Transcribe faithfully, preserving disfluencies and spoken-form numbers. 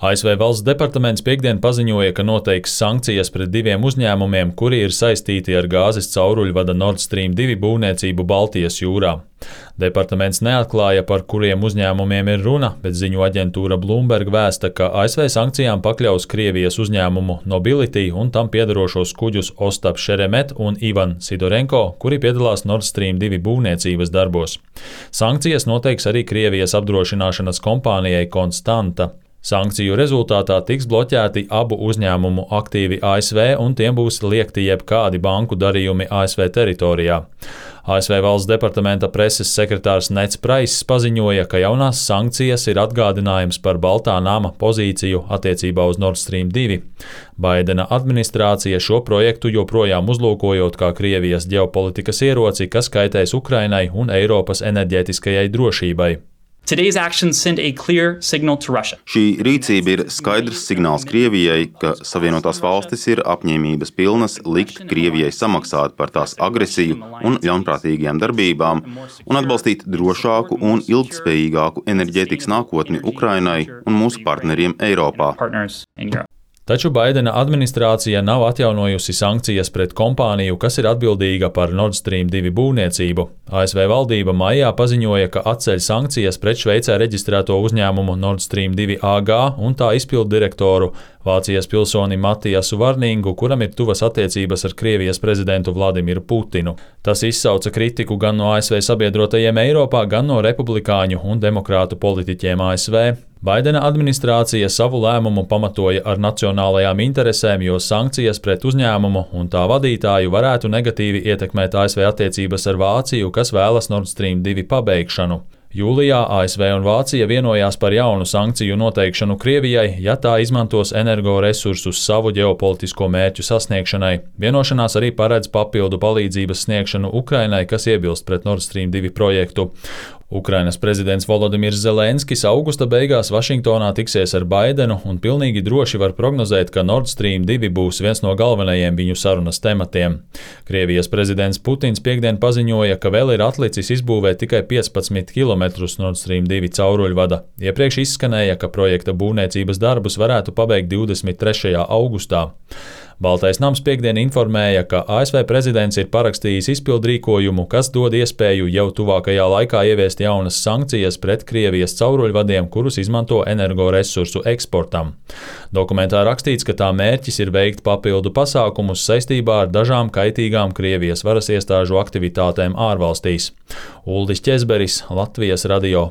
A S V valsts departaments piektdien paziņoja, ka noteiks sankcijas pret diviem uzņēmumiem, kuri ir saistīti ar gāzes cauruļvada Nord Stream divi būvniecību Baltijas jūrā. Departaments neatklāja, par kuriem uzņēmumiem ir runa, bet ziņu aģentūra Bloomberg vēsta, ka A S V sankcijām pakļaus Krievijas uzņēmumu Nobility un tam piedarošos kuģus Ostap Sheremet un Ivan Sidorenko, kuri piedalās Nord Stream divi būvniecības darbos. Sankcijas noteiks arī Krievijas apdrošināšanas kompānijai Konstanta. Sankciju rezultātā tiks bloķēti abu uzņēmumu aktīvi A S V un tiem būs liegti jebkādi banku darījumi A S V teritorijā. A S V valsts departamenta preses sekretārs Neds Praiss paziņoja, ka jaunās sankcijas ir atgādinājums par Baltā nama pozīciju attiecībā uz Nord Stream divi. Baidena administrācija šo projektu joprojām uzlūkojot kā Krievijas ģeopolitikas ieroci, kas kaitēs Ukrainai un Eiropas enerģētiskajai drošībai. Today's actions send a clear signal to Russia. Šī rīcība ir skaidrs signāls Krievijai, ka Savienotās valstis ir apņēmības pilnas likt Krievijai samaksāt par tās agresiju un ļaunprātīgajām darbībām un atbalstīt drošāku un ilgtspējīgāku enerģētikas nākotni Ukrainai un mūsu partneriem Eiropā. Taču Baidena administrācija nav atjaunojusi sankcijas pret kompāniju, kas ir atbildīga par Nord Stream divi būvniecību. A S V valdība maijā paziņoja, ka atceļ sankcijas pret Šveicē reģistrēto uzņēmumu Nord Stream divi A G un tā izpilddirektoru Vācijas pilsoni Matiasu Varningu, kuram ir tuvas attiecības ar Krievijas prezidentu Vladimiru Putinu. Tas izsauca kritiku gan no A S V sabiedrotajiem Eiropā, gan no republikāņu un demokrātu politiķiem A S V. Baidena administrācija savu lēmumu pamatoja ar nacionālajām interesēm, jo sankcijas pret uzņēmumu un tā vadītāju varētu negatīvi ietekmēt A S V attiecības ar Vāciju, kas vēlas Nord Stream divi pabeigšanu. Jūlijā A S V un Vācija vienojās par jaunu sankciju noteikšanu Krievijai, ja tā izmantos energoresursus savu ģeopolitisko mērķu sasniegšanai. Vienošanās arī paredz papildu palīdzības sniegšanu Ukrainai, kas iebilst pret Nord Stream divi projektu. Ukrainas prezidents Volodimirs Zelenskis augusta beigās Vašingtonā tiksies ar Baidenu un pilnīgi droši var prognozēt, ka Nord Stream divi būs viens no galvenajiem viņu sarunas tematiem. Krievijas prezidents Putins piektdien paziņoja, ka vēl ir atlicis izbūvēt tikai piecpadsmit kilometrus Nord Stream divi cauruļvada. Iepriekš izskanēja, ka projekta būvniecības darbus varētu pabeigt divdesmit trešajā augustā. Baltais nams piektdien informēja, ka A S V prezidents ir parakstījis izpildrīkojumu, kas dod iespēju jau tuvākajā laikā ieviest jaunas sankcijas pret Krievijas cauruļvadiem, kurus izmanto energoresursu eksportam. Dokumentā rakstīts, ka tā mērķis ir veikt papildu pasākumus saistībā ar dažām kaitīgām Krievijas varas iestāžu aktivitātēm ārvalstīs. Uldis Ķezberis, Latvijas radio.